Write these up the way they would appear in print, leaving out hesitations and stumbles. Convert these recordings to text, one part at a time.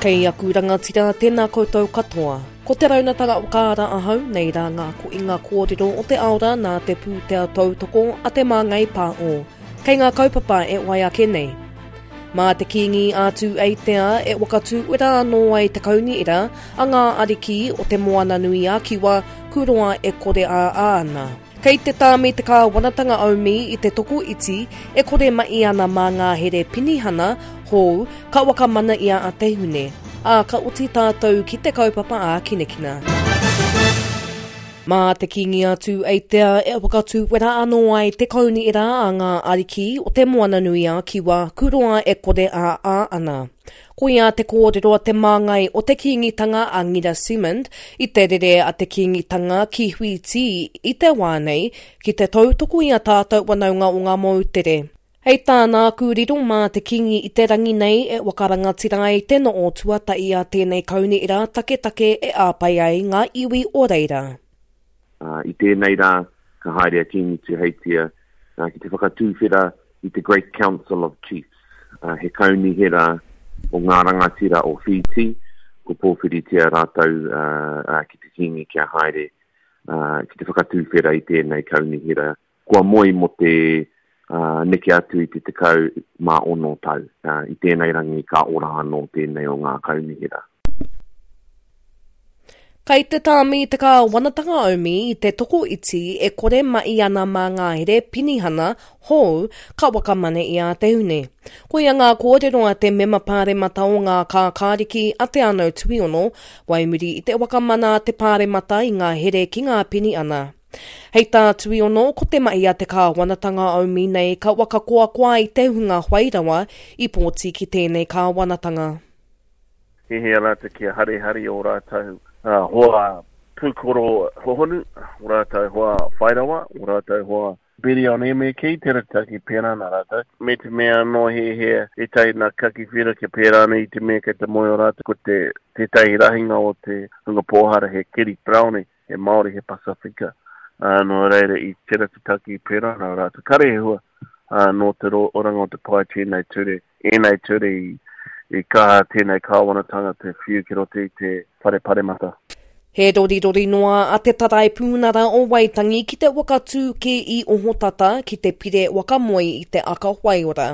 Kei aku rangatira, tēnā koutou katoa. Ko Te Raunatara Whakaara ahau, nei rā ngā koinga kōrero o te ao rā nā te pūtea tautoko a Te Māngai Pāho. Kei ngā kaupapa e wai ake nei. Mā te Kīngi a Tūeitea e whakatūwera anō ai te kaunihera a ngā ariki o Te Moananui-a-Kiwa, kuroa e kore ā ana. Kei te tāmi te kāwanatanga aumi i te tokoiti e kore mahi ana mā ngā here penihana hou ka whakamana i a Te Hune, ā, ka oti tātou ki te kaupapa ākinakina. Mā te Kīngi a Tūeitea e whakatūwera anō ai te kaunihera a ngā ariki o Te Moananui-a-Kiwa, kuroa e kore ā ā ana. Koia te kōrero a te māngai o te Kīngitanga a Ngira Simond i te rere a te Kīngitanga ki Whītī i te wā nei ki te tautoko i a tātou wanaunga o ngā moutere. Hei tāna, Aku riro mā te Kīngi i te rangi nei e whakarangatira ai te noo tuatahi a tēnei kaunihera taketake e āpai ai ngā iwi o reira. I tēnei rā, ka haere a Kīngi Tuheitia ki te whakatuwhera i te Great Council of Chiefs, he kaunihera o ngā rangatira o Whītī, ko pōwhiritia rātou ki te Kīngi kia haere ki te whakatuwhera i tēnei kaunihera. Kua moe mō te neke atu i te 16 tau. I tēnei rangi ka ora anō tēnei o ngā kaunihera. Kei te tāmi te kāwanatanga aumi i te tokoiti e kore mahi ana mā ngā here penihana hou ka whakamana i a Te Hune. Koia ngā kōrero a te mema pāremata o ngā kākāriki a Te Anau Tuiono, wai muri i te whakamana a te pāremata i ngā here ki ngā penihana. Hei tā Tuiono, ko te mahi a te kāwanatanga aumi nei ka whakakoakoa i te hunga whai rawa i pōti ki tēnei kāwanatanga. Hiahia rātou kia harihari ō rātou hoa pūkoro hohonu, ō rātou hoa whairawa, ō rātou hoa birionia me kī, tērā te take pērā ana rātou. Me te mea anō hiahia ētahi nā kaki whero kia pērā ana i te mea kei te moe o rātou ko te tētahi rahinga o te hunga pōhara he keri brownie. he Māori, he Pasifika, ā, nō reira i tera te take i pērā nā rātou. Kare he hua, ā, nō te oranga o te pae tēnei ture, ēnei ture i, i kaha tēnei kāwanatanga te whiu ki roto i te whare paremata. He rorirori noa a Te Taraipiunara o Waitangi ki te whakatū kē i ohotata ki te pire wakamoe i te aka waiora.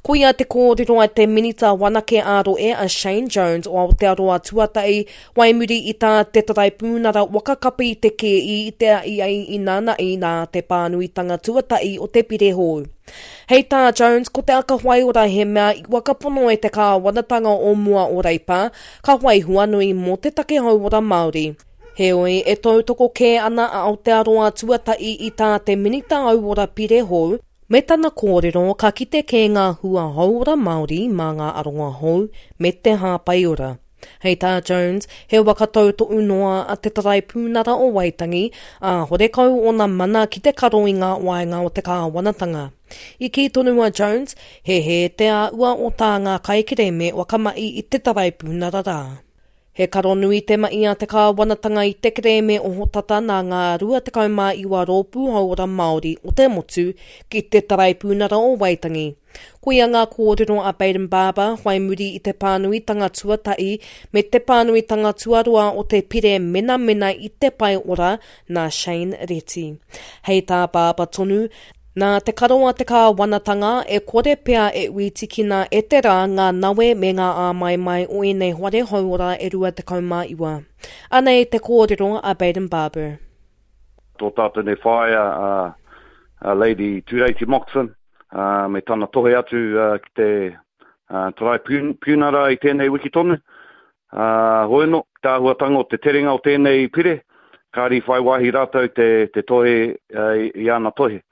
Koia te kōrero a te Minita Wanake ā-Rohe a Shane Jones o Aotearoa Tuatahi Wai muri i tā te Taraipiunara waka kapi i te kēi i te ai ai inānaī nā te pānuitanga tuatahi o te pire hou. Hei tā Jones, ko te aka whaiora he mea i whakapono e te kāwanatanga o mua o Reipa, ka whai huanui mō te take hauora Māori. Heoi, e tautoko kē ana a Aotearoa Tuatahi i tā te Minita Hauora pire hou, Me tana kōrero, ka kite kē ngā hua hauora Māori mā ngā aronga hou me te hāpaiora. Hei tā Jones, he waka tautohu noa a Te Taraipiunara o Waitangi, ā, horekau ōna mana ki te karo i ngā waenga o te kāwanatanga. I kī tonu a Jones, he hē te āhua o tā ngā kaikerēme whakamahi i te taraipiunara rā. He karo nui te mahi a te kāwanatanga i te kerēme ohotata nā ngā 29 rōpū hauora Māori o te motu ki te Taraipiunara o Waitangi. Koia ngā kōrero a Bayden Barber whai muri i te pānuitanga tuatahi me te pānuitanga tuarua o te pire menamena i te pae ora nā Shane Reti. Hei tā Barber tonu, Nā te karo a te kāwanatanga, e kore pea e ui tikina e te rā ngā nawe me ngā āmaimai o ēnei whare hauora e 29. Anei te kōrero a Bayden Barber. Tō tātou nei whaea a Lady Tureiti Moxon me tana tohe atu ki te Taraipiunara i tēnei wiki tonu. Ā, hoeno, te āhuatanga o te terenga o tēnei pire, kāre i whai wāhi rātou te, te tohe i āna tohe.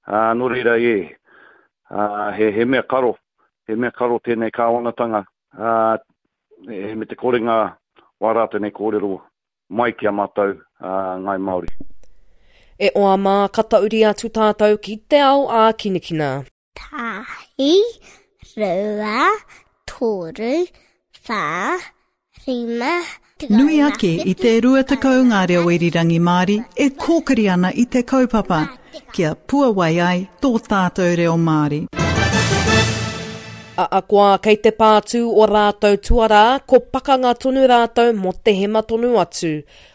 Ā, nō reira, ē, ā, he, he mea karo, he mea karo tēnei kāwanatanga, ā, e, me te korenga wā rātou nei kōrero mai ki a mātou, ā, Ngāi Māori. E oa mā, ka tauri atu tātou ki te ao ākinakina. Tahi, rua, toru, wha, rima, Nui ake i te 20 ngā reo irirangi Māori e kōkiri ana i te kaupapa kia puawai ai tō tātou reo Māori. Ahakoa kei te pātū o rātou tuarā, ko pakanga tonu rātou mō te hema tonu atu.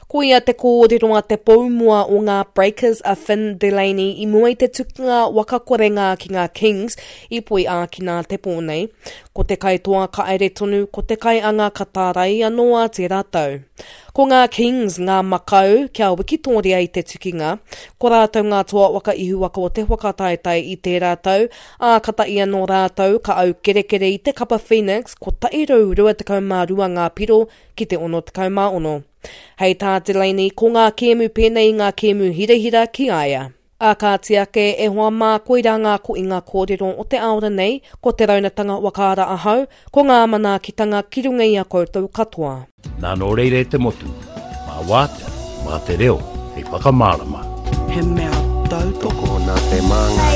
Koia te kōrero a te poumua o ngā Breakers a Finn Delany i mua i te tukunga waka korenga ki ngā Kings i poi ākina te pō nei. Ko te kaitoa ka aere tonu, ko te kaianga ka tārai anō a tērā tau. Ko ngā Kings ngā makau kia wikitōria i te tukinga. Ko rātou ngā toa waka ihuwaka o te whakataetae i tērā tau, ā, katahi anō rātou ka aukerekere i te kapa Phoenix 122 ngā piro ki te 66. Hei tā Delaney, ko ngā kēmu pēnei i ngā kēmu hirahira ki a ia. Ā kāti ake, e hoa mā, koirā ngā koinga kōrero o te aora nei, ko te raunatanga whakaara ahau, ko ngā manaakitanga ki runga i a koutou katoa. Nā nō reira e te motu, mā wātea, mā te reo hei whakamārama. He mea tautoko. Tokona te māngai.